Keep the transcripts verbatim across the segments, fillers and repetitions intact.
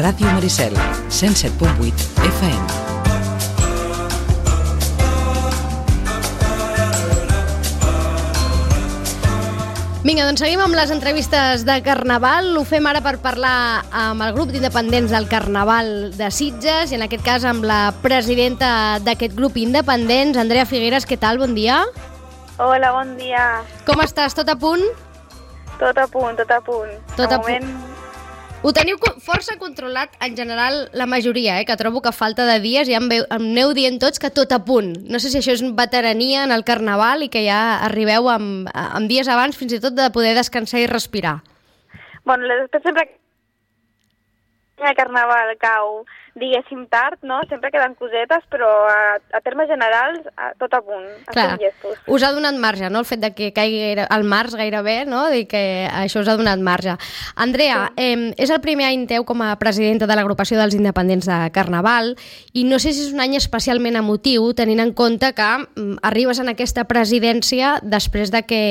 Ràdio Maricel, cent set punt vuit F M. Vinga, doncs seguim amb les entrevistes de Carnaval. Ho fem ara per parlar amb el grup d'independents del Carnaval de Sitges i en aquest cas amb la presidenta d'aquest grup independents, Andrea Figueres. Què tal? Bon dia. Hola, bon dia. Com estàs? Tot a punt? Tot a punt, tot a punt. Tot de a moment... punt. Ho teniu força controlat, en general, la majoria, eh? Que trobo que a falta de dies ja em, veu, em aneu dient tots que tot a punt. No sé si això és veterania en el Carnaval i que ja arribeu amb, amb dies abans fins i tot de poder descansar i respirar. Bueno, després sempre que el Carnaval cau, diguéssim, tard, no? Sempre queden cosetes, però a, a termes generals, a, tot a punt. Clar, us ha donat marge, no?, el fet de que caigui al març gairebé, no?, i que això us ha donat marge. Andrea, sí. eh, és el primer any teu com a presidenta de l'agrupació dels independents de Carnaval i no sé si és un any especialment emotiu, tenint en compte que mm, arribes en aquesta presidència després de que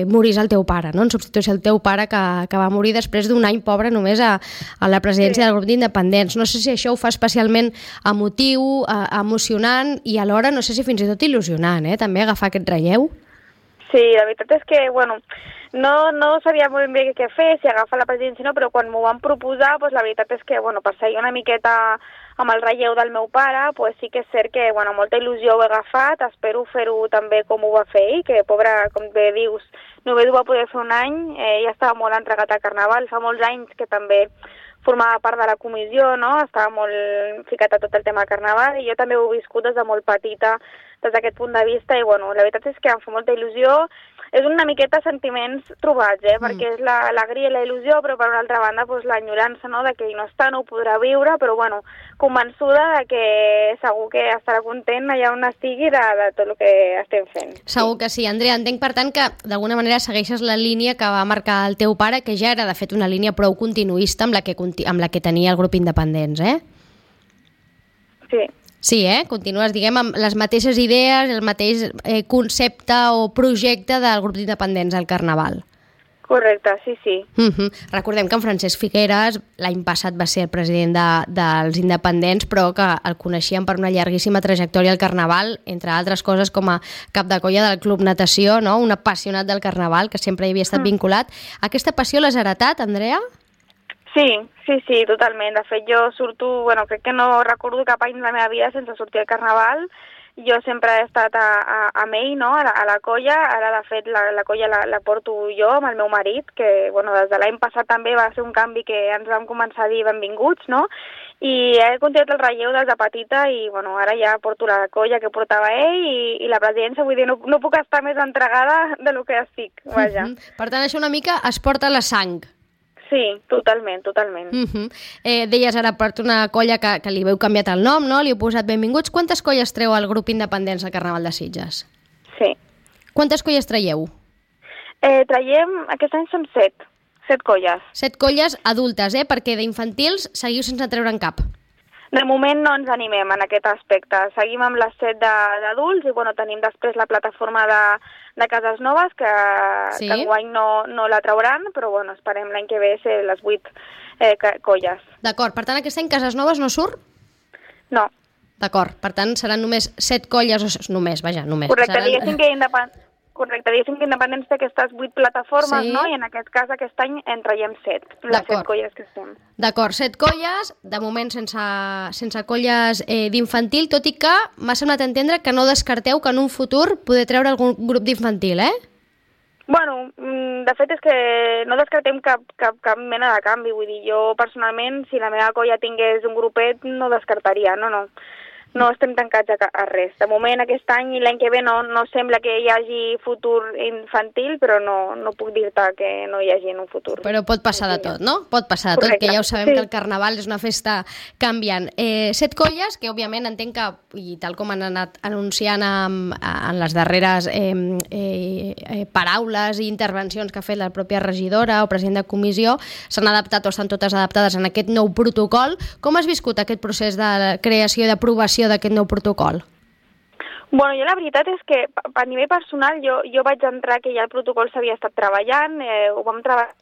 morís el teu pare, no?, en substitució del teu pare que, que va morir després d'un any pobre només a, a la presidència sí. del grup d'independents. No sé si això ho fa especialment emotiu, eh, emocionant i alhora no sé si fins i tot il·lusionant, eh? També agafar aquest relleu. Sí, la veritat és que, bueno, no, no sabia molt bé què fer, si agafar la presidència no, però quan m'ho van proposar, pues, la veritat és que, bueno, per seguir una miqueta amb el relleu del meu pare, pues, sí que és cert que, bueno, molta il·lusió ho he agafat, espero fer-ho també com ho va fer ell, que, pobre, com bé dius, només ho va poder fer un any, eh, ja estava molt entregat al Carnaval, fa molts anys que també formava part de la comissió, no? Estava molt ficat a tot el tema del Carnaval i jo també ho he viscut des de molt petita des d'aquest punt de vista i, bueno, la veritat és que em fa molta il·lusió. És una miqueta sentiments trobats, eh? Mm. Perquè és l'alegria i la il·lusió, però per una altra banda doncs, l'enyorança, no?, de que ell no està, no ho podrà viure, però bueno, convençuda de que segur que estarà content allà on estigui de, de tot el que estem fent. Segur que sí. Andrea, entenc per tant que d'alguna manera segueixes la línia que va marcar el teu pare, que ja era de fet una línia prou continuista amb la que, amb la que tenia el grup independents, eh? Sí. Sí, eh? Continues, diguem, amb les mateixes idees, el mateix eh, concepte o projecte del grup d'independents al Carnaval. Correcte, sí, sí. Uh-huh. Recordem que en Francesc Figueres l'any passat va ser el president de, dels independents, però que el coneixíem per una llarguíssima trajectòria al Carnaval, entre altres coses com a cap de colla del Club Natació, no?, un apassionat del Carnaval que sempre hi havia estat mm. vinculat. Aquesta passió l'has heretat, Andrea? Sí, sí, sí, totalment. De fet, jo surto, bueno, crec que no recordo cap any de la meva vida sense sortir al Carnaval. Jo sempre he estat a, a, amb ell, no?, a la, a la colla. Ara, de fet, la, la colla la, la porto jo amb el meu marit, que, bueno, des de l'any passat també va ser un canvi que ens vam començar a dir benvinguts, no?, i he continuat el relleu des de petita i, bueno, ara ja porto la colla que portava ell i, i la presidència, vull dir, no, no puc estar més entregada de lo que estic, vaja. Uh-huh. Per tant, això una mica es porta la sang. Sí, totalment, totalment. Uh-huh. eh, deies ara per una colla que, que li heu canviat el nom, no? Li heu posat benvinguts. Quantes colles treu el grup independents al Carnaval de Sitges? Sí. Quantes colles traieu? Eh, traiem, aquest any som set, set colles. Set colles adultes, eh? Perquè d'infantils seguiu sense treure'n cap. De moment no ens animem en aquest aspecte. Seguim amb les set d'adults i, bueno, tenim després la plataforma de, de Cases Noves, que, sí. que enguany no, no la trauran, però, bueno, esperem l'any que ve ser les vuit eh, colles. D'acord. Per tant, aquest any Cases Noves no surt? No. D'acord. Per tant, seran només set colles, o només, vaja, només. Correcte, seran... diguéssim que independent... Correcte, diguéssim que Independents té aquestes vuit plataformes, sí. no? I en aquest cas, aquest any, en traiem set, les set colles que estem. D'acord, set colles, de moment sense, sense colles eh, d'infantil, tot i que m'ha semblat entendre que no descarteu que en un futur poder treure algun grup d'infantil, eh? Bueno, de fet és que no descartem cap, cap, cap mena de canvi, vull dir, jo personalment, si la meva colla tingués un grupet, no descartaria, no, no. No estem tancats a, a res. De moment, aquest any i l'any que ve no, no sembla que hi hagi futur infantil, però no, no puc dir-te que no hi hagi en un futur. Però pot passar de tot, no? Pot passar de tot, correcte, que ja ho sabem, sí. Que el Carnaval és una festa canviant. Eh, set colles, que òbviament entenc que, i tal com han anat anunciant en, en les darreres eh, eh, eh, paraules i intervencions que ha fet la pròpia regidora o president de comissió, s'han adaptat o estan totes adaptades en aquest nou protocol. Com has viscut aquest procés de creació i d'aprovació d'aquest nou protocol? Bueno, jo la veritat és que a nivell personal jo, jo vaig entrar que ja el protocol s'havia estat treballant, eh, ho vam treballar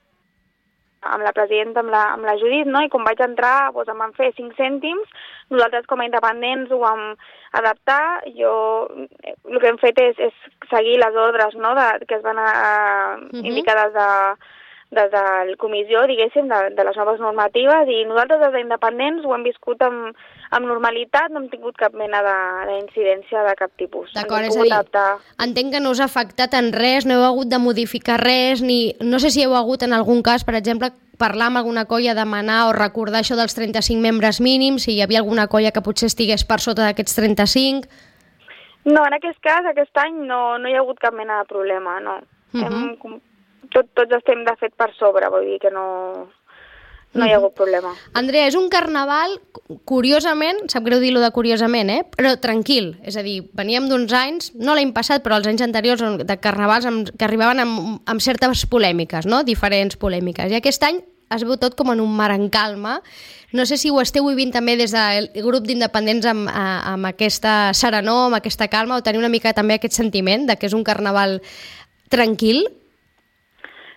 amb la presidenta, amb la, amb la Judit, no? I quan vaig entrar doncs, em van fer cinc cèntims, nosaltres com a independents ho vam adaptar, jo el que hem fet és, és seguir les ordres, no? de, que es van a, a uh-huh. indicar des de, des de la comissió, diguéssim, de, de les noves normatives, i nosaltres des d'independents ho hem viscut amb, amb normalitat, no hem tingut cap mena d'incidència de, de cap tipus. D'acord, és a dir, adaptar. Entenc que no us ha afectat en res, no heu hagut de modificar res, ni no sé si heu hagut en algun cas, per exemple, parlar amb alguna colla, demanar o recordar això dels trenta-cinc membres mínims, si hi havia alguna colla que potser estigués per sota d'aquests trenta-cinc. No, en aquest cas, aquest any no, no hi ha hagut cap mena de problema, no. Uh-huh. Hem, tot, tots estem de fet per sobre, vull dir que no... No hi ha hagut problema. Andrea, és un carnaval, curiosament, sap greu dir-lo de curiosament, eh? Però tranquil. És a dir, veníem d'uns anys, no l'any passat, però els anys anteriors, de carnavals amb, que arribaven amb, amb certes polèmiques, no? Diferents polèmiques. I aquest any es veu tot com en un mar en calma. No sé si ho esteu vivint també des del grup d'independents amb, amb aquesta serenor, amb aquesta calma, o tenir una mica també aquest sentiment de que és un carnaval tranquil.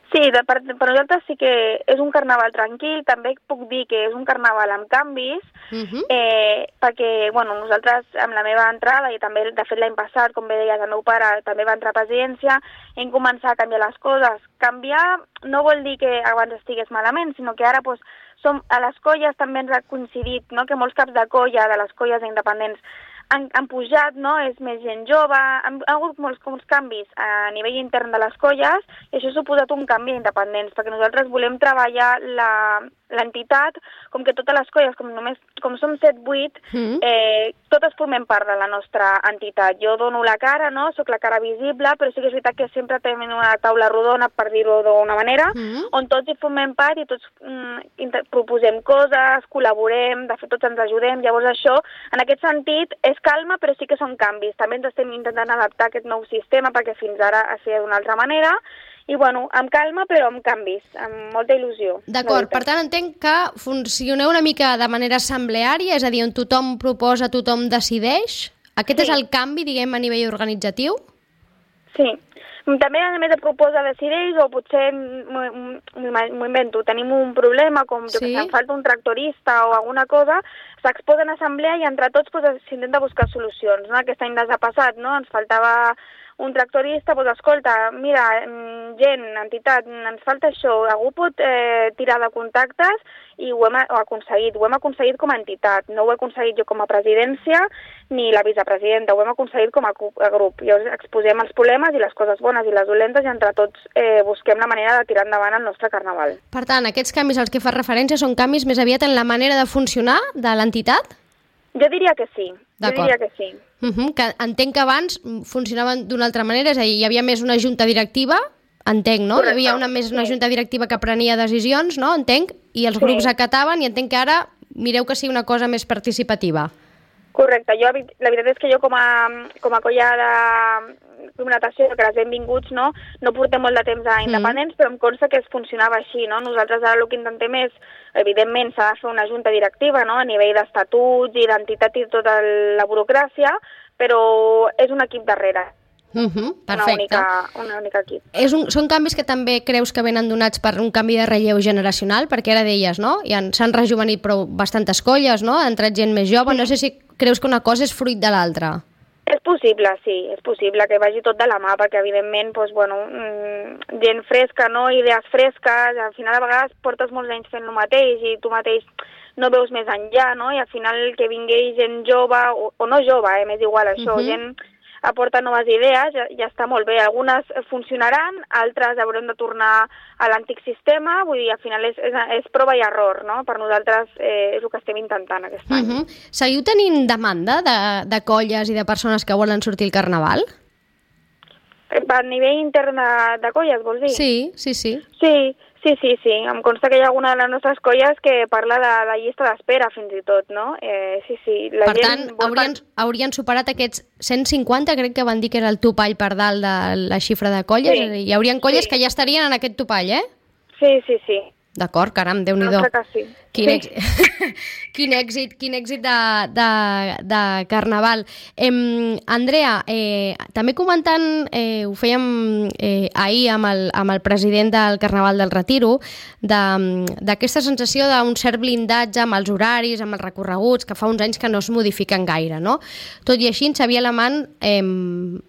Sí, de, per, per nosaltres sí que és un carnaval tranquil, també puc dir que és un carnaval amb canvis, uh-huh. eh, perquè bueno, nosaltres amb la meva entrada, i també de fet l'any passat, com bé deies, el meu pare també va entrar a presidència, hem començat a canviar les coses. Canviar no vol dir que abans estigués malament, sinó que ara pues, som, a les colles també ens ha coincidit, no? Que molts caps de colla de les colles independents Han, han pujat, no? És més gent jove, han, ha hagut molts, molts canvis a nivell intern de les colles, i això ha suposat un canvi d'independents, perquè nosaltres volem treballar l'entitat com que totes les colles, com només com som set vuit, mm. eh, totes formem part de la nostra entitat. Jo dono la cara, no? Soc la cara visible, però sí que és veritat que sempre tenim una taula rodona, per dir-ho d'una manera, mm. on tots hi formem part i tots mm, proposem coses, col·laborem, de fet tots ens ajudem, llavors això, en aquest sentit, és calma, però sí que són canvis. També ens estem intentant adaptar a aquest nou sistema, perquè fins ara es feia d'una altra manera, i bueno, amb calma, però amb canvis, amb molta il·lusió. D'acord, per tant entenc que funcioneu una mica de manera assembleària, és a dir, on tothom proposa, tothom decideix. Aquest sí. És el canvi, diguem, a nivell organitzatiu? Sí. També, a més, proposa decideix, o potser m'ho invento, tenim un problema, com jo sí. que em falta un tractorista o alguna cosa, s'exposa en assemblea i entre tots pues, s'intenta buscar solucions. No? Aquest any ens ha passat, no? Ens faltava un tractorista, doncs escolta, mira, gent, entitat, ens falta això, algú pot eh, tirar de contactes, i ho hem ho aconseguit, ho hem aconseguit com a entitat, no ho he aconseguit jo com a presidència ni la vicepresidenta, ho hem aconseguit com a, a grup. Llavors exposem els problemes i les coses bones i les dolentes i entre tots eh, busquem la manera de tirar endavant el nostre carnaval. Per tant, aquests canvis als que fa referència són canvis més aviat en la manera de funcionar de l'entitat? Jo diria que sí, jo diria que sí. Uh-huh, que entenc que abans funcionaven d'una altra manera, és a dir, hi havia més una junta directiva, entenc, no? Correcte. Hi havia una, més una sí. junta directiva que prenia decisions, no? Entenc, i els sí. grups acataven, i entenc que ara mireu que sigui una cosa més participativa. Correcte, jo, la veritat és que jo com a, com a colla de natació, que les benvinguts, no, no portem molt de temps a independents, mm. però em consta que es funcionava així, no? Nosaltres ara el que intentem és, evidentment, s'ha de fer una junta directiva, no?, a nivell d'estatuts i d'entitat i tota la burocràcia, però és un equip darrere. Uh-huh, perfecte. Una única, una única equip. És un, són canvis que també creus que venen donats per un canvi de relleu generacional? Perquè ara deies, no? S'han rejuvenit prou bastantes colles, no? Ha entrat gent més jove. Sí. No sé si creus que una cosa és fruit de l'altra. És possible, sí, és possible que vagi tot de la mà, perquè evidentment, doncs, bueno, mmm, gent fresca, no? Idees fresques, al final a vegades portes molts anys fent el mateix i tu mateix no veus més enllà, no? I al final que vingui gent jove, o, o no jove, eh? M'és igual això, uh-huh. gent aporta noves idees, ja, ja està molt bé. Algunes funcionaran, altres haurem de tornar a l'antic sistema, vull dir, al final és, és, és prova i error, no? Per nosaltres eh, és el que estem intentant aquest any. Uh-huh. Seguiu tenint demanda de, de colles i de persones que volen sortir al carnaval? A nivell intern de, de colles, vols dir? Sí, sí, sí. Sí, sí, sí, sí. Em consta que hi ha alguna de les nostres colles que parla de la llista d'espera, fins i tot, no? Eh, sí, sí. La per gent tant, haurien, haurien superat aquests cent cinquanta, crec que van dir que era el topall per dalt de la xifra de colles. Sí. Hi haurien colles sí. que ja estarien en aquest topall, eh? Sí, sí, sí. D'acord, caram, Déu-n'hi-do. No sé que sí. Quin, sí. èxit, quin èxit, quin èxit de, de, de Carnaval. Eh, Andrea, eh, també comentant, eh, ho fèiem eh, ahir amb el, amb el president del Carnaval del Retiro, d'aquesta de, sensació d'un cert blindatge amb els horaris, amb els recorreguts, que fa uns anys que no es modifiquen gaire, no? Tot i així, en Xavier Alemany eh,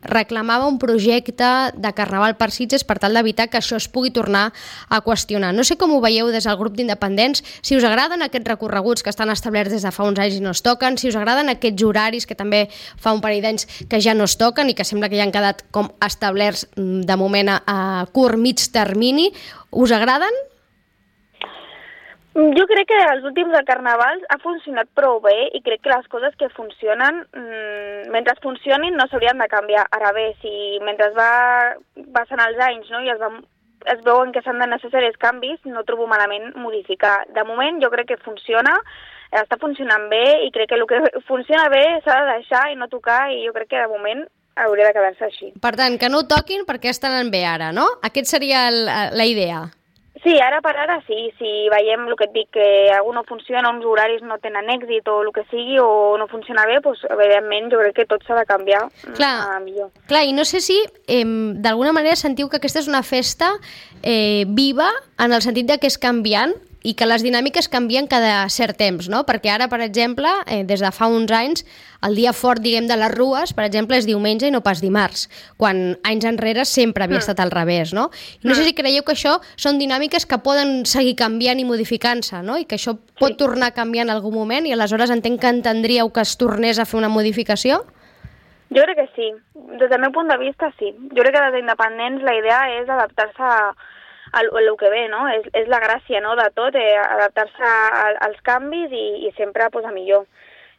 reclamava un projecte de Carnaval per Sitges per tal d'evitar que això es pugui tornar a qüestionar. No sé com ho veieu des del grup d'independents, si us agraden aquests recorreguts que estan establerts des de fa uns anys i no es toquen, si us agraden aquests horaris que també fa un parell d'anys que ja no es toquen i que sembla que ja han quedat com establerts de moment a, a curt, mig termini, us agraden? Jo crec que els últims de Carnavals ha funcionat prou bé i crec que les coses que funcionen, mmm, mentre funcionin no s'haurien de canviar. Ara bé, si mentre va passant els anys, no, i es va es veuen que s'han de necessaris canvis, no trobo malament modificar. De moment jo crec que funciona, està funcionant bé i crec que el que funciona bé s'ha de deixar i no tocar i jo crec que de moment hauria de quedar-se així. Per tant, que no ho toquin perquè estan bé ara, no? Aquest seria el, la idea. Sí, ara per ara sí, si veiem el que et dic, que algú no funciona, uns horaris no tenen èxit o el que sigui, o no funciona bé, doncs evidentment jo crec que tot s'ha de canviar clar, a millor. Clar, i no sé si eh, d'alguna manera sentiu que aquesta és una festa eh, viva en el sentit de que és canviant i que les dinàmiques canvien cada cert temps, no? Perquè ara, per exemple, eh, des de fa uns anys, el dia fort, diguem, de les rues, per exemple, és diumenge i no pas dimarts, quan anys enrere sempre havia mm. estat al revés, no? I no mm. sé si creieu que això són dinàmiques que poden seguir canviant i modificant-se, no? I que això pot sí. tornar a canviar en algun moment i aleshores entenc que entendríeu que es tornés a fer una modificació? Jo crec que sí. Des del meu punt de vista, sí. Jo crec que des d'independents la idea és adaptar-se a el, el que ve, no? És, és la gràcia, no?, de tot, eh, adaptar-se als canvis i, i sempre pues, a millor.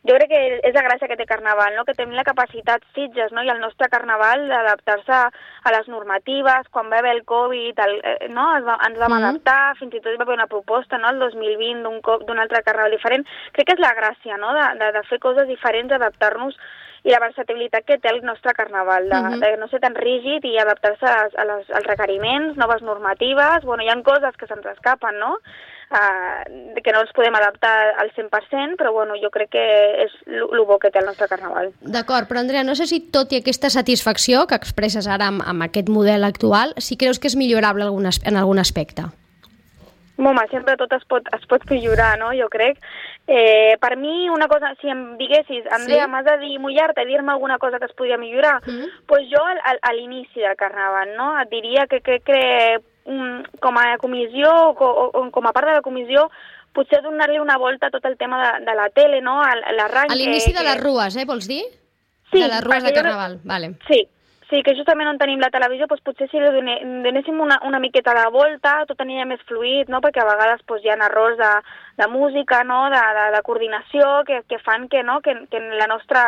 Jo crec que és la gràcia que té Carnaval, no?, que tenim la capacitat Sitges, no?, i el nostre Carnaval d'adaptar-se a les normatives. Quan va haver el Covid, el, eh, no?, ens, va, ens vam mm. adaptar, fins i tot hi va haver una proposta, no?, el dos mil vint d'un altre Carnaval diferent. Crec que és la gràcia, no?, de, de, de fer coses diferents, adaptar-nos, i la versatilitat que té el nostre Carnaval, de, uh-huh. de no ser tan rígid i adaptar-se a, a les, als requeriments, noves normatives. Bueno, hi ha coses que se'ns escapen, no?, uh, que no els podem adaptar al cent per cent, però bueno, jo crec que és el bo que té el nostre Carnaval. D'acord, però Andrea, no sé si tot i aquesta satisfacció que expresses ara amb, amb aquest model actual, si creus que és millorable algun, en algun aspecte? Home, sempre tot es pot, es pot millorar, no?, jo crec. Eh, per mi, una cosa, si em diguessis, Andrea, sí? m'has de dir, mullar-te, dir-me alguna cosa que es podria millorar, mm. pues jo al, a l'inici del Carnaval, no?, et diria que, que, que um, com a comissió o, o com a part de la comissió potser donar-li una volta a tot el tema de, de la tele, no?, a l'arranc. A l'inici que, de les rues, eh, vols dir? Sí. De les rues de Carnaval, jo... vale. Sí. Sí, que justament on tenim la televisió, doncs potser si li donéssim una, una miqueta de volta, tot aniria més fluid, no?, perquè a vegades doncs, hi ha errors de, de música, no?, de, de, de coordinació, que, que fan que, no?, que, que la nostra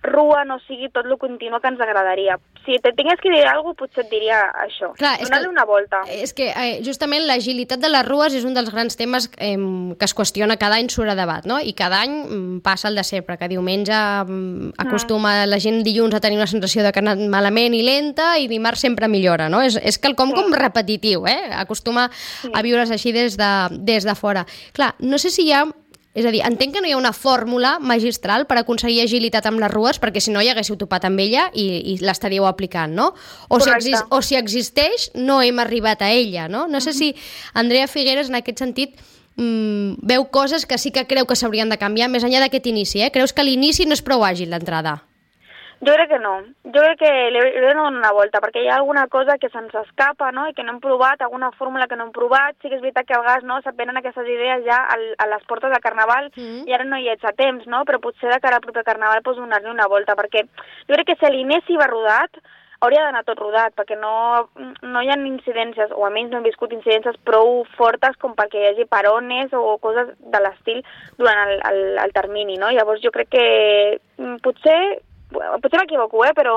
rua no sigui tot el continu que ens agradaria. Si te tingués que dir alguna cosa, potser et diria això. Clar, donar-li una volta. És que eh, justament l'agilitat de les rues és un dels grans temes eh, que es qüestiona cada any, surt a debat, no? I cada any mm, passa el de sempre, que diumenge mm, acostuma mm. la gent dilluns a tenir una sensació de que ha anat malament i lenta i dimarts sempre millora, no? És, és quelcom sí. com repetitiu, eh? Acostuma sí. a viure's així des de, des de fora. Clar, no sé si hi ha... És a dir, entenc que no hi ha una fórmula magistral per aconseguir agilitat amb les rues, perquè si no hi haguéssiu topat amb ella i, i l'estaríeu aplicant, no? O si, exist, o si existeix, no hem arribat a ella, no? No sé si Andrea Figueres, en aquest sentit, mmm, veu coses que sí que creu que s'haurien de canviar, més enllà d'aquest inici, eh? Creus que l'inici no és prou àgil, l'entrada? Jo crec que no. Jo crec que li he de donar una volta, perquè hi ha alguna cosa que se'ns escapa, no?, i que no hem provat, alguna fórmula que no hem provat. Sí que és veritat que a vegades, no?, se't venen aquestes idees ja al, a les portes del Carnaval mm. i ara no hi ets a temps, no?, però potser de cara al proper Carnaval pots donar-li una volta, perquè jo crec que si l'inici va rodat, hauria d'anar tot rodat, perquè no, no hi ha incidències, o almenys no hem viscut incidències prou fortes com perquè hi hagi parones o coses de l'estil durant el, el, el termini, no? Llavors jo crec que potser... potser m'equivoco, eh, però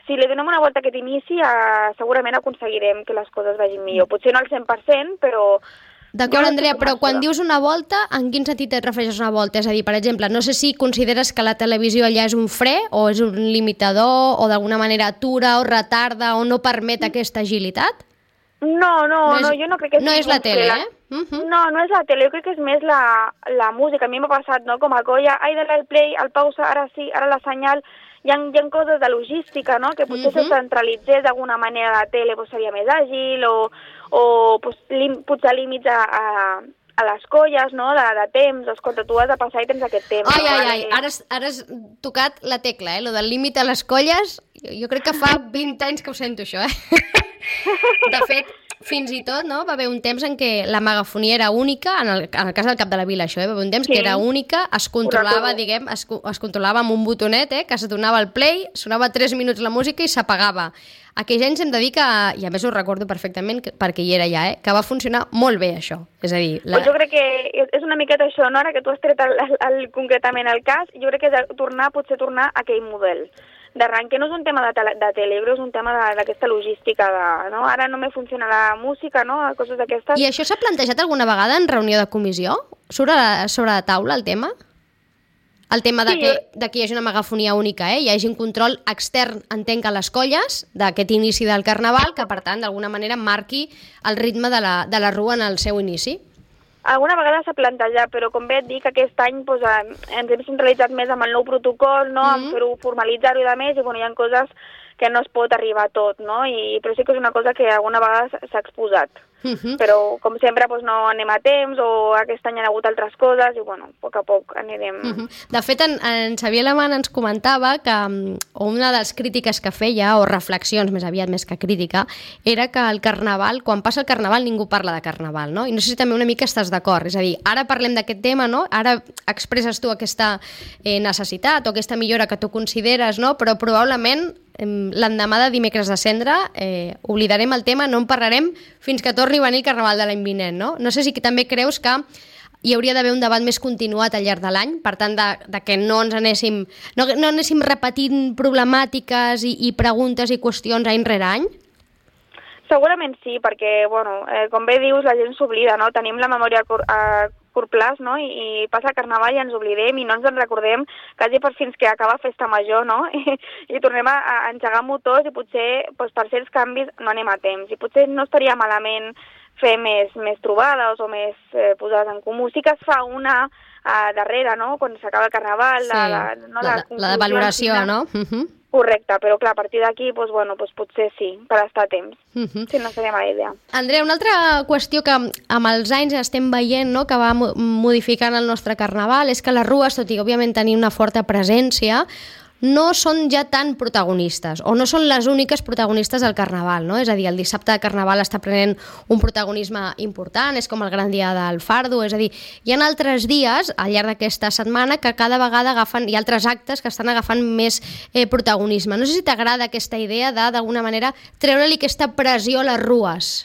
si li donem una volta a aquest inici, eh, segurament aconseguirem que les coses vagin millor. Potser no al cent per cent, però... D'acord, Andrea, però quan dius una volta, en quin sentit et refereixes a una volta? És a dir, per exemple, no sé si consideres que la televisió allà és un fre o és un limitador o d'alguna manera atura o retarda o no permet aquesta agilitat? No, no, no, és, no jo no crec que no és la tele, la... eh? Uh -huh. No, no és la tele, jo crec que és més la, la música. A mi m'ha passat, no?, com a colla, ai, dale al play, al pausa, ara sí, ara la senyal. Hi ha, hi ha coses de logística, no?, que potser uh -huh. se centralitzés d'alguna manera la tele, pues, seria més àgil, o, o pues, lim, potser límits a, a, a les colles, no?, de, de temps. Escolta, tu has de passar i tens aquest temps. Ai, no? ai, ai, ara has, ara has tocat la tecla, eh?, lo del límit a les colles. Jo crec que fa vint anys que ho sento, això, eh? De fet, fins i tot, no?, va haver un temps en què la megafonia era única, en el, en el cas del Cap de la Vila, això, eh? Va haver un temps sí. que era única, es controlava, diguem, es, es controlava amb un botonet, eh?, que se donava el play, sonava tres minuts la música i s'apagava. Aquells anys hem de dir que, i a més ho recordo perfectament que, perquè hi era ja, eh, que va funcionar molt bé això. És a dir, la... Pues jo crec que és una miqueta això, no?, ara que tu has tret el, el, el, concretament el cas, jo crec que és de tornar, potser tornar a aquell model d'arranque. No és un tema de, tele, de tele, és un tema d'aquesta logística, de, no? Ara només funciona la música, no?, coses d'aquestes. I això s'ha plantejat alguna vegada en reunió de comissió? Sobre, sobre la taula, el tema? El tema de, sí, que, de que hi hagi una megafonia única, eh? Hi hagi un control extern, entenc, a les colles d'aquest inici del Carnaval, que, per tant, d'alguna manera marqui el ritme de la, de la rua en el seu inici. Alguna vegada s'ha plantejat, però com bé et dic, aquest any pues, ens hem centralitzat més amb el nou protocol, no? Mm-hmm. En fer-ho, formalitzar-ho i de més, i bueno, hi ha coses que no es pot arribar a tot, no? I, però sí que és una cosa que alguna vegada s'ha exposat. Mm-hmm. Però, com sempre, doncs, no anem a temps, o aquest any han hagut altres coses, i, bueno, a poc a poc anirem... Mm-hmm. De fet, en, en Xavier Alemany ens comentava que o una de les crítiques que feia, o reflexions més aviat més que crítica, era que el Carnaval, quan passa el Carnaval, ningú parla de Carnaval, no? I no sé si també una mica estàs d'acord, és a dir, ara parlem d'aquest tema, no? Ara expresses tu aquesta eh, necessitat o aquesta millora que tu consideres, no? Però probablement l'endemà de Dimecres de Cendra eh, oblidarem el tema, no en parlarem fins que torni a venir el Carnaval de l'any vinent, no? No sé si també creus que hi hauria d'haver un debat més continuat al llarg de l'any, per tant, de, de que no ens anéssim, no, no anéssim repetint problemàtiques i, i preguntes i qüestions any rere any? Segurament sí, perquè, bueno, eh, com bé dius, la gent s'oblida, no? Tenim la memòria a curt plaç, no? I, i passa el Carnaval i ens oblidem i no ens en recordem quasi per fins que acaba Festa Major, no? I, i tornem a, a engegar motors i potser doncs, per certs canvis no anem a temps. I potser no estaria malament fer més, més trobades o més eh, posades en comú. Sí que es fa una uh, darrere, no?, quan s'acaba el Carnaval. Sí, la, la, no, la, la, la de valoració, final. No? Uh-huh. Correcte, però clar, a partir d'aquí, doncs, bueno, doncs potser sí, per estar a temps. Uh-huh. Sí, no seria mala idea. Andrea, una altra qüestió que amb els anys estem veient, no?, que va modificant el nostre Carnaval, és que les rues, tot i òbviament tenir una forta presència, no són ja tan protagonistes, o no són les úniques protagonistes del Carnaval, no? És a dir, el dissabte de Carnaval està prenent un protagonisme important, és com el gran dia del Fardo, és a dir, hi ha altres dies al llarg d'aquesta setmana que cada vegada agafen, hi ha altres actes que estan agafant més eh, protagonisme. No sé si t'agrada aquesta idea de, d'alguna manera, treure-li aquesta pressió a les rues.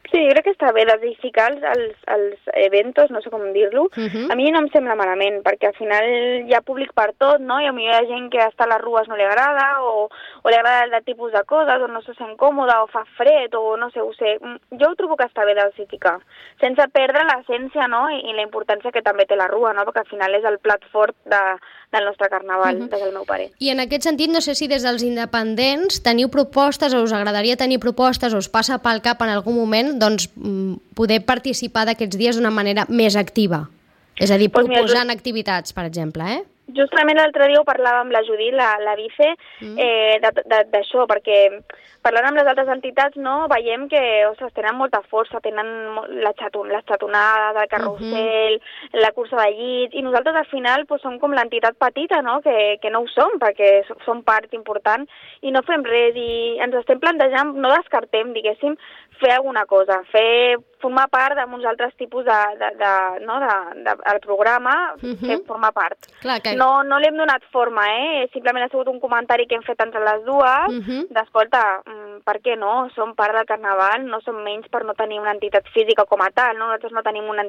Sí, jo crec que està bé diversificar els, els, els eventos, no sé com dir-lo. Uh-huh. A mi no em sembla malament, perquè al final hi ha públic per tot, no? I a mi hi ha gent que estar a les rues no li agrada, o, o li agrada el tipus de coses, o no se sent còmoda, o fa fred, o no sé, ho sé. Jo ho trobo que està bé diversificar, sense perdre l'essència, no?, i, i la importància que també té la rua, no?, perquè al final és el plat fort de, del nostre Carnaval, uh-huh. des del meu parer. I en aquest sentit, no sé si des dels independents teniu propostes, o us agradaria tenir propostes, o us passa pel cap en algun moment, doncs, poder participar d'aquests dies d'una manera més activa. És a dir, pues proposant mira, activitats, per exemple, eh? Justament l'altre dia ho parlàvem amb la Judit, la, la vice, mm. eh, d'això, perquè parlant amb les altres entitats, no, veiem que, ostres, tenen molta força, tenen la xaton, les xatonades, el carrusel, mm-hmm. la cursa de llits, i nosaltres al final pues, som com l'entitat petita, no?, que, que no ho som, perquè som part important, i no fem res, i ens estem plantejant, no descartem, diguéssim, fer alguna cosa, fer formar part d'uns altres tipus de, de, de, no, de, de, del programa, uh-huh. fer formar part. Clar, que... No, no li hem donat forma, eh? Simplement ha sigut un comentari que hem fet entre les dues, uh-huh. d'escolta, per què no? Som part del Carnaval, no som menys per no tenir una entitat física com a tal, no? Nosaltres no tenim una,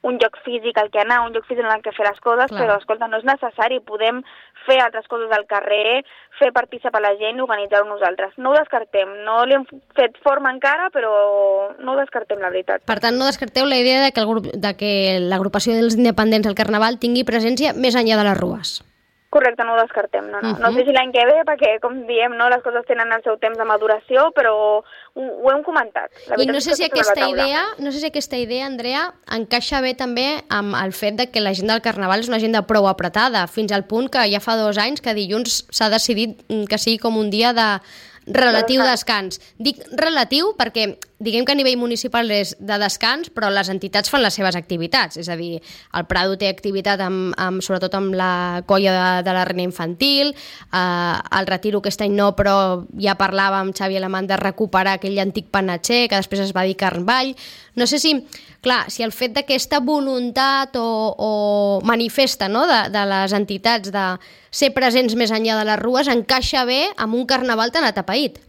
un lloc físic al que anar, un lloc físic en el que fer les coses, clar. Però, escolta, no és necessari, podem fer altres coses al carrer, fer participar la gent i organitzar-ho nosaltres. No ho descartem, no li hem fet forma encara, però no ho descartem, la veritat. Per tant, no descarteu la idea de que, el grup, de que l'agrupació dels independents al Carnaval tingui presència més enllà de les rues. Correcte, no ho descartem, no, no. Uh-huh. No sé si l'any que ve, perquè, com diem, no, les coses tenen el seu temps de maduració, però ho, ho hem comentat. La I no sé, si aquesta taula. idea, no sé si aquesta idea, Andrea, encaixa bé també amb el fet de que l'agenda del Carnaval és una agenda prou apretada, fins al punt que ja fa dos anys que dilluns s'ha decidit que sigui com un dia de relatiu descans. Dic relatiu perquè diguem que a nivell municipal és de descans, però les entitats fan les seves activitats. És a dir, el Prado té activitat amb, amb, sobretot amb la colla de, de la Reina Infantil, eh, el Retiro aquest any no, però ja parlava amb Xavi Alemany de recuperar aquell antic panatxer que després es va dir Carnvall. No sé si, clar, si el fet d'aquesta voluntat o, o manifesta, no?, de, de les entitats de ser presents més enllà de les rues encaixa bé amb un carnaval tan atapeït.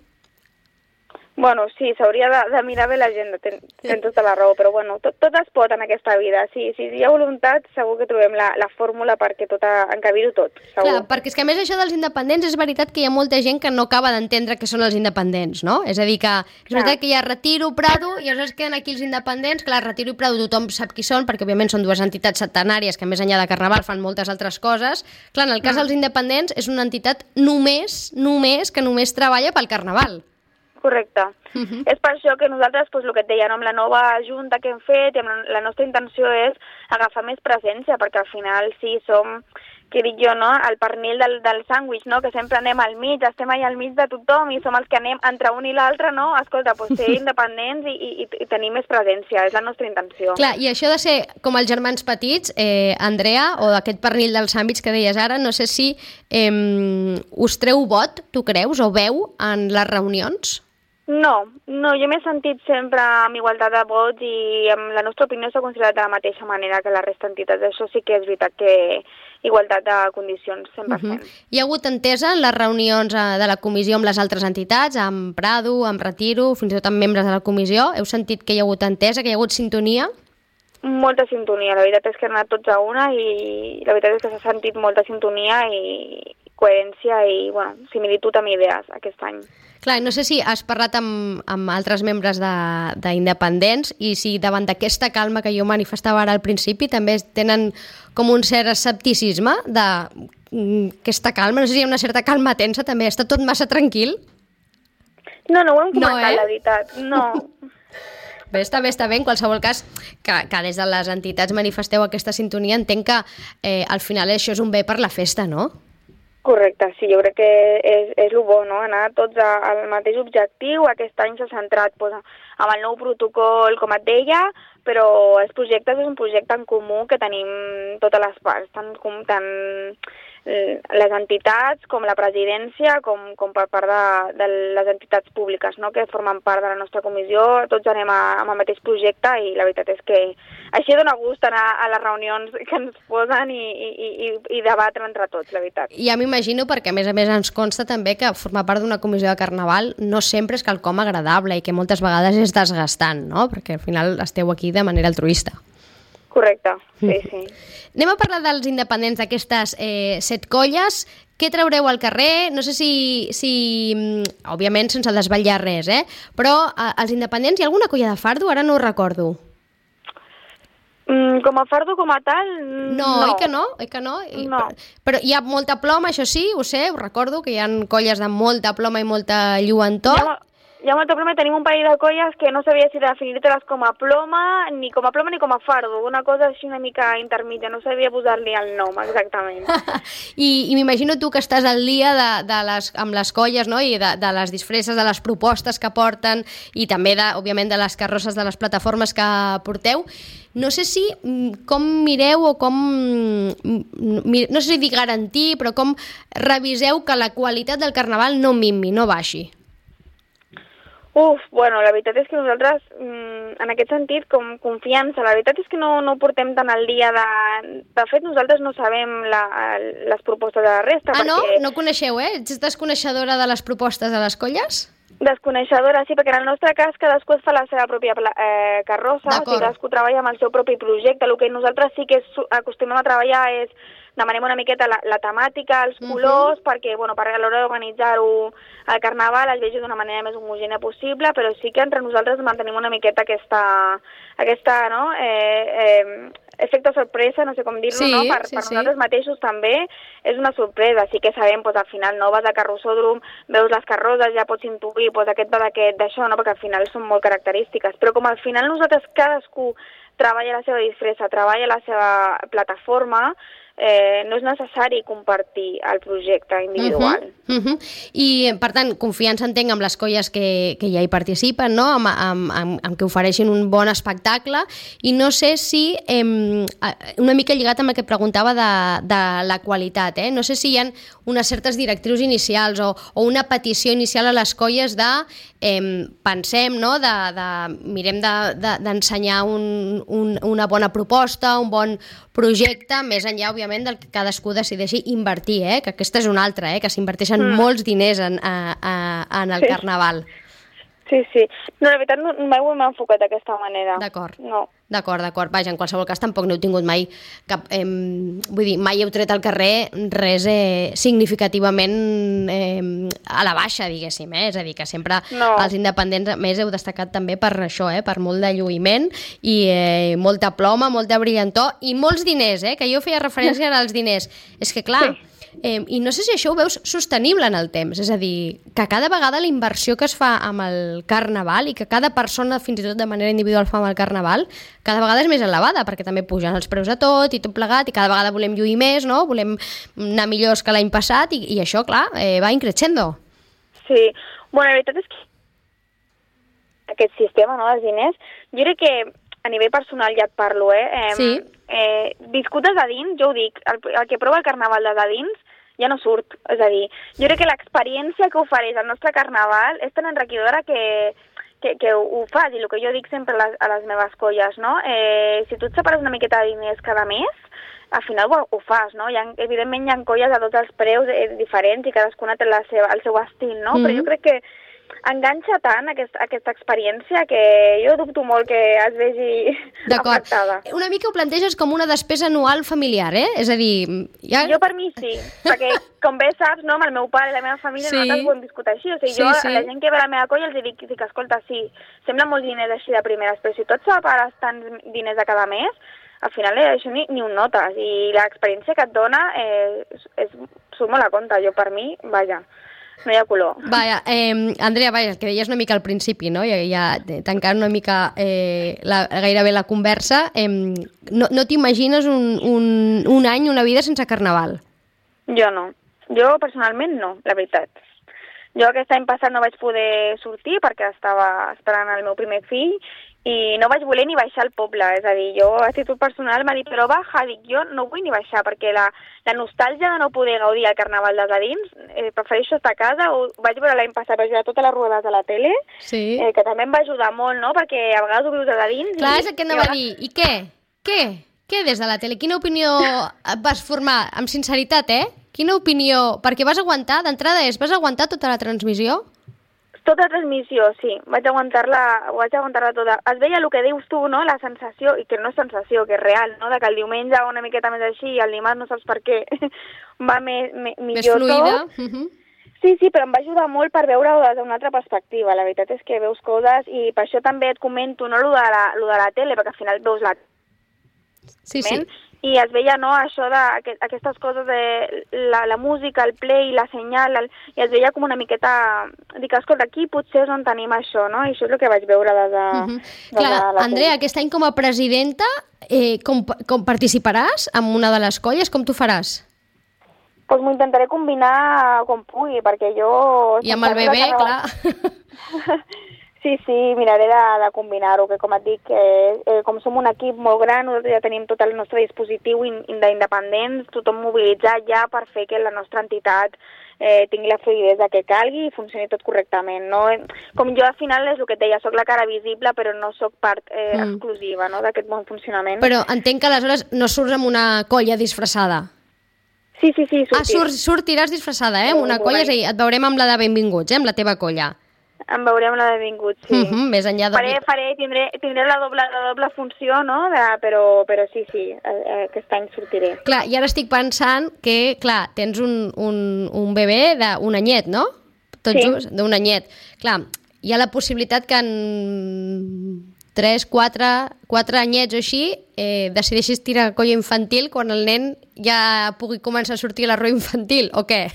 Bueno, sí, s'hauria de, de mirar bé l'agenda, ten, ten tota la raó, però bueno, tot, tot es pot en aquesta vida. Si, si hi ha voluntat, segur que trobem la, la fórmula perquè tot encabir-ho tot, segur. Clar, perquè és que a més això dels independents és veritat que hi ha molta gent que no acaba d'entendre què són els independents, no? És a dir, que és veritat que hi ha Retiro, Prado, i llavors queden aquí els independents. Clar, Retiro i Prado tothom sap qui són, perquè òbviament són dues entitats centenàries que més enllà de Carnaval fan moltes altres coses. Clar, en el cas dels independents és una entitat només, només, que només treballa pel Carnaval. Correcte. Uh-huh. És per això que nosaltres, doncs, el que et deia, no, amb la nova junta que hem fet, i amb la nostra intenció és agafar més presència, perquè al final sí som, què dic jo, no?, el pernil del, del sàndwich, no?, que sempre anem al mig, estem allà al mig de tothom i som els que anem entre un i l'altre, no? Escolta, doncs ser independents i, i, i tenir més presència, és la nostra intenció. Clar, i això de ser com els germans petits, eh, Andrea, o d'aquest pernil del sàndwich que deies ara, no sé si eh, us treu vot, tu creus, o veu en les reunions? No, no, jo m'he sentit sempre amb igualtat de vots i amb la nostra opinió s'ha considerat de la mateixa manera que la resta d'entitats. Això sí que és veritat que igualtat de condicions, cent per cent. Uh-huh. Hi ha hagut entesa en les reunions de la comissió amb les altres entitats, amb Prado, amb Retiro, fins i tot amb membres de la comissió? Heu sentit que hi ha hagut entesa, que hi ha hagut sintonia? Molta sintonia, la veritat és que han anat tots a una i la veritat és que s'ha sentit molta sintonia i coherència i, bueno, similitud amb idees aquest any. Clar, no sé si has parlat amb, amb altres membres d'independents i si davant d'aquesta calma que jo manifestava ara al principi també tenen com un cert escepticisme d'aquesta calma, no sé si hi ha una certa calma tensa també, està tot massa tranquil? No, no ho hem comentat, no, eh? La veritat, no. Bé, està bé, està bé, en qualsevol cas que, que des de les entitats manifesteu aquesta sintonia, entenc que eh, al final això és un bé per la festa, no? Correcte, sí, jo crec que és, és el bo, no?, anar tots a, al mateix objectiu. Aquest any s'ha centrat pues, amb el nou protocol, com et deia, però els projectes és un projecte en comú que tenim totes les parts, tant, com, tant les entitats com la presidència, com, com per part de, de les entitats públiques, no?, que formen part de la nostra comissió. Tots anem a, amb el mateix projecte i la veritat és que així dona gust anar a les reunions que ens posen i, i, i, i debatre entre tots, la veritat. Ja m'imagino, perquè a més a més ens consta també que formar part d'una comissió de Carnaval no sempre és quelcom agradable i que moltes vegades és desgastant, no?, perquè al final esteu aquí de manera altruista. Correcte, sí, sí. Anem a parlar dels independents d'aquestes eh, set colles. Què traureu al carrer? No sé si, si òbviament sense desvetllar res, eh? Però eh, els independents, hi ha alguna colla de fardo? Ara no ho recordo. Mm, com a fardo, com a tal, no. No, oi que no? Oi que no? I, no. Però, però hi ha molta ploma, això sí, ho sé, ho recordo, que hi ha colles de molta ploma i molta lluentor. Ja, hi ha molta ploma, tenim un parell de colles que no sabia si definir-te-les com a ploma, ni com a ploma ni com a fardo, una cosa així una mica intermitja, no sabia posar-li el nom exactament. I, i m'imagino tu que estàs al dia de, de les, amb les colles, no?, i de, de les disfresses, de les propostes que porten i també, de, òbviament, de les carrosses de les plataformes que porteu. No sé si com mireu o com, no sé si dir garantir, però com reviseu que la qualitat del Carnaval no minvi, no baixi. Uf, bueno, la veritat és que nosaltres, en aquest sentit, com confiança, la veritat és que no, no portem tant al dia de... De fet, nosaltres no sabem la, les propostes de la resta. Ah, perquè... no? No coneixeu, eh? Ets desconeixedora de les propostes de les colles? Desconeixedora, sí, perquè en el nostre cas cadascú es fa la seva pròpia eh, carrossa, o sigui, cadascú treballa amb el seu propi projecte. El que nosaltres sí que acostumem a treballar és demanem una miqueta la, la temàtica, els colors, uh-huh. perquè bueno, per a l'hora d'organitzar-ho al Carnaval es vegi d'una manera més homogènia possible, però sí que entre nosaltres mantenim una miqueta aquesta, aquesta no? eh, eh, efecte sorpresa, no sé com dir-lo, sí, no? Per, sí, per sí. nosaltres mateixos també és una sorpresa. Sí que sabem, doncs, al final no vas a carrossòdrom, veus les carrosses, ja pots intuir, doncs aquest va d'aquest, d'això, no? Perquè al final són molt característiques. Però com al final nosaltres cadascú treballa la seva disfressa, treballa la seva plataforma, eh, no és necessari compartir el projecte individual. Uh -huh, uh -huh. I, per tant, confiança entenc amb les colles que, que ja hi participen, no? amb, amb, amb, amb que ofereixin un bon espectacle, i no sé si, eh, una mica lligat amb el que preguntava de, de la qualitat, eh? no sé si hi ha unes certes directrius inicials o, o una petició inicial a les colles de eh, pensem, no? de, de, mirem d'ensenyar de, de, un, un, una bona proposta, un bon projecte, més enllà, òbviament, del que cadascú decideixi invertir, eh? que aquesta és una altra, eh? que s'inverteixen mm. molts diners en, a, a, en el sí. carnaval. Sí, sí. No, la veritat, no, mai ho hem enfocat d'aquesta manera. D'acord. No. D'acord, d'acord. Vaja, en qualsevol cas tampoc n'heu tingut mai cap... Eh, vull dir, mai heu tret al carrer res eh, significativament eh, a la baixa, diguéssim, eh? És a dir, que sempre no. els independents, més, heu destacat també per això, eh? Per molt de lluïment i eh, molta ploma, molta brillantor i molts diners, eh? Que jo feia referència als diners. És que, clar... Sí. Eh, I no sé si això ho veus sostenible en el temps, és a dir, que cada vegada la inversió que es fa amb el carnaval i que cada persona, fins i tot de manera individual, fa amb el carnaval, cada vegada és més elevada, perquè també pugen els preus de tot i tot plegat, i cada vegada volem lluir més, no? Volem anar millors que l'any passat, i, i això, clar, eh, va increixendo. Sí, bueno, la veritat és que aquest sistema, no?, dels diners, jo crec que a nivell personal ja et parlo, eh? eh sí. Eh, viscut des de dins, jo ho dic, el, el que prova el carnaval des de dins ja no surt, és a dir, jo crec que l'experiència que ofereix el nostre carnaval és tan enriquidora que, que, que ho, ho fas, i el que jo dic sempre a les, a les meves colles, no? Eh, si tu et separes una miqueta de diners cada mes, al final ho, ho fas, no? Hi ha, evidentment hi ha colles a tots els preus eh, diferents i cadascuna té la seva, el seu estil, no? Mm-hmm. Però jo crec que enganxa tant aquest, aquesta experiència que jo dubto molt que es vegi afectada. Una mica ho planteges com una despesa anual familiar, eh? És a dir... Ja... Jo per mi sí, perquè com bé saps, no, amb el meu pare i la meva família sí. nosaltres ho hem viscut així. O sigui, sí, jo sí. a la gent que ve a la meva colla els dic, dic, escolta, sí, sembla molts diners així de primeres, però si tu et separes tants diners a cada mes, al final eh, això ni, ni un notes, i l'experiència que et dona eh, és, és, surt molt a compte. Jo per mi, vaja, no hi ha color. Vaja, eh, Andrea, vaja, el que deies una mica al principi, no? Ja, ja tancant una mica eh, la, gairebé la conversa, eh, no, no t'imagines un, un, un any, una vida sense carnaval? Jo no. Jo personalment no, la veritat. Jo aquest any passat no vaig poder sortir perquè estava esperant el meu primer fill i no vaig voler ni baixar al poble, és a dir, jo a títol personal m'ha dit, però baja, dic, jo no vull ni baixar, perquè la, la nostàlgia de no poder gaudir el carnaval des de dins, eh, prefereixo estar a casa. Ho vaig veure l'any passat, vaig veure totes les rodes a la tele, sí. eh, que també em va ajudar molt, no?, perquè a vegades ho vius des de dins. Clar, i, és el que anava a dir, i què? Què? Què des de la tele? Quina opinió vas formar? Amb sinceritat, eh? Quina opinió? Perquè vas aguantar, d'entrada és, vas aguantar tota la transmissió? Tota la transmissió, sí. Vaig aguantar-la, vaig aguantar-la tota. Es veia el que dius tu, no?, la sensació, i que no és sensació, que és real, no?, de que el diumenge va una miqueta més així i el dimarts no saps per què va més, més, millor tot. Més fluida. Uh -huh. Sí, sí, però em va ajudar molt per veure-ho des d'una altra perspectiva. La veritat és que veus coses, i per això també et comento, no, lo de la, lo de la tele, perquè al final veus la... Sí, sí. I es veia, no, això de aquestes coses de la, la música, el play, la senyal, el, i es veia com una miqueta... Dic, escolta, aquí potser és on tenim això, no? I això és el que vaig veure des de, uh -huh. des Clar, de la Andrea, aquest any com a presidenta, eh, com, com participaràs en una de les colles? Com t'ho faràs? Doncs pues m'ho intentaré combinar com pugui, perquè jo... I amb el bebè, clar... Sí, sí, miraré de, de combinar-ho, que com et dic, eh, eh, com som un equip molt gran, nosaltres ja tenim tot el nostre dispositiu in, in d'independents, tothom mobilitzat ja per fer que la nostra entitat eh, tingui la fluidesa que calgui i funcioni tot correctament, no? Com jo al final és el que et deia, soc la cara visible, però no soc part eh, mm. exclusiva, no?, d'aquest bon funcionament. Però entenc que aleshores no surts amb una colla disfressada. Sí, sí, sí, sortir. Ah, surt, sortiràs disfressada, eh, amb una colla, és a dir, et veurem amb la de Benvinguts, eh, amb la teva colla. Em veurem la de Benvinguts, sí. Uh-huh, més enllà de... Faré, faré, tindré, tindré la, doble, la doble funció, no?, de, però, però sí, sí, aquest any sortiré. Clar, i ara estic pensant que, clar, tens un, un, un bebè d'un anyet, no? Tot sí. just, d'un anyet. Clar, hi ha la possibilitat que en tres, quatre, quatre anyets o així, eh, decideixis tirar colla infantil quan el nen ja pugui començar a sortir a la roda infantil, o què?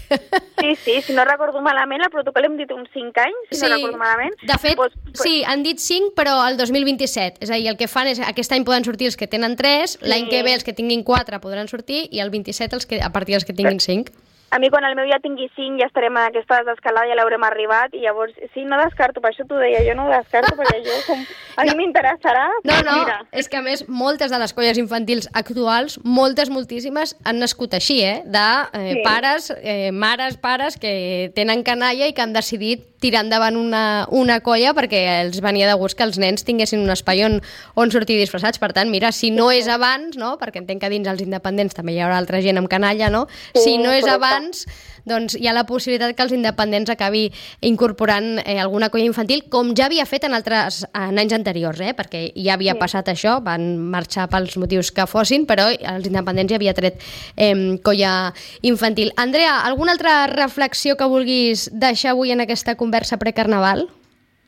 Sí, sí, si no recordo malament, el protocol hem dit uns cinc anys, si sí, no recordo malament. De fet, pues, pues... sí, han dit cinc, però el dos mil vint-i-set. És a dir, el que fan és, aquest any poden sortir els que tenen tres, sí. L'any que ve els que tinguin quatre podran sortir, i el vint-i-set els que, a partir dels que tinguin cinc. A mi, quan el meu ja tingui cinc, ja estarem en aquesta desescalada, ja l'haurem arribat, i llavors, sí, no descarto, per això t'ho deia, jo no ho descarto, perquè jo, com, a mi no. m'interessarà. No, no, mira. És que a més, moltes de les colles infantils actuals, moltes, moltíssimes, han nascut així, eh? De eh, sí. pares, eh, mares, pares, que tenen canalla i que han decidit tirar endavant una, una colla perquè els venia de gust que els nens tinguessin un espai on, on sortir disfressats. Per tant, mira, si no és abans, no? Perquè entenc que dins els independents també hi haurà altra gent amb canalla, no? Sí, si no és correcte. abans, doncs hi ha la possibilitat que els independents acabi incorporant eh, alguna colla infantil, com ja havia fet en altres en anys anteriors, eh? Perquè ja havia sí. passat això, van marxar pels motius que fossin, però els independents ja havia tret eh, colla infantil. Andrea, alguna altra reflexió que vulguis deixar avui en aquesta conversa precarnaval?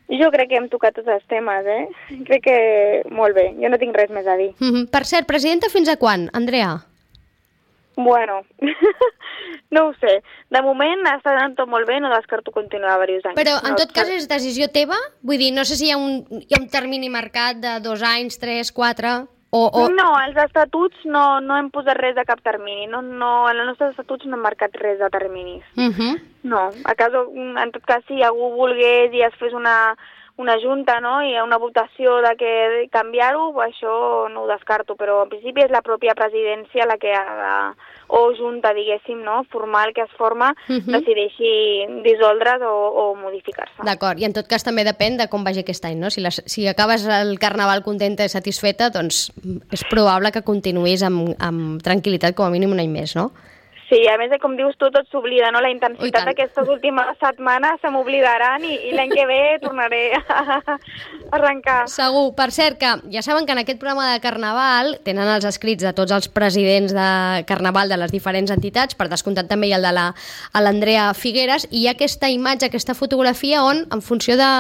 Jo crec que hem tocat tots els temes, eh? Crec que molt bé, jo no tinc res més a dir. Mm-hmm. Per cert, presidenta fins a quan, Andrea? Bueno, no ho sé. De moment està anant tot molt bé, no descarto continuar diversos anys. Però en no, tot cas és decisió teva? Vull dir, no sé si hi ha un, hi ha un termini marcat de dos anys, tres, quatre... O, o... No, als estatuts no, no hem posat res de cap termini. No, no, en els nostres estatuts no hem marcat res de terminis. Uh-huh. No, a cas, en tot cas, si algú volgués i es fes una, una junta, no?, i una votació de que canviar-ho, això no ho descarto, però en principi és la pròpia presidència la que ha de, o junta, diguéssim, no?, formal que es forma, uh-huh. decideixi dissoldre's o, o modificar-se. D'acord, i en tot cas també depèn de com vagi aquest any, no? Si, les, si acabes el Carnaval contenta i satisfeta, doncs és probable que continuïs amb, amb tranquil·litat com a mínim un any més, no? Sí, a més, com dius tu, tot s'oblida, no? La intensitat d'aquestes últimes setmanes se m'oblidaran i, i l'any que ve tornaré a arrencar. Segur. Per cert, que ja saben que en aquest programa de Carnaval tenen els escrits de tots els presidents de Carnaval de les diferents entitats, per descomptat també hi ha el de la, l'Andrea Figueres, i hi ha aquesta imatge, aquesta fotografia on, en funció de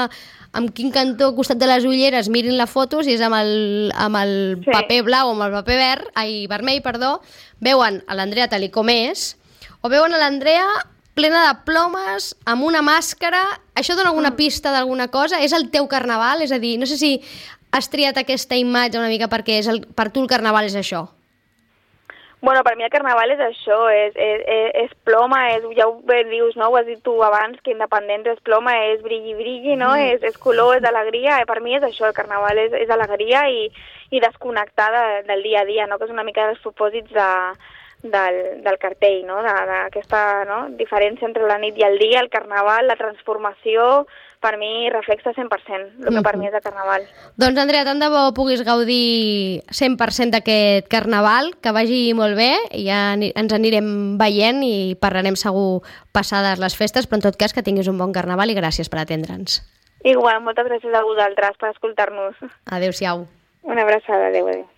amb quin cantó costat de les ulleres mirin la foto, si és amb el, amb el sí. paper blau o amb el paper verd, ai, vermell, perdó, veuen a l'Andrea tal i com és, o veuen a l'Andrea plena de plomes, amb una màscara. Això dona alguna pista d'alguna cosa? És el teu Carnaval? És a dir, no sé si has triat aquesta imatge una mica perquè és el, per tu el Carnaval és això. Bueno, per mi el Carnaval és això, és, és, és ploma, és, ja ho dius, no? Ho has dit tu abans, que independent és ploma, és brilli-brilli, no? Mm. És, és color, és alegria, per mi és això, el Carnaval és, és alegria i, i desconnectar de, del dia a dia, no? Que és una mica dels propòsits de, del, del cartell, no? D'aquesta no? diferència entre la nit i el dia, el Carnaval, la transformació, per mi reflexa cent per cent el que uh-huh. per mi és el Carnaval. Doncs, Andrea, tant de bo puguis gaudir cent per cent d'aquest Carnaval, que vagi molt bé, i ja ens anirem veient i parlarem segur passades les festes, però en tot cas que tinguis un bon Carnaval i gràcies per atendre'ns. Igual, moltes gràcies a vosaltres per escoltar-nos. Adéu-siau. Una abraçada, adéu, adéu.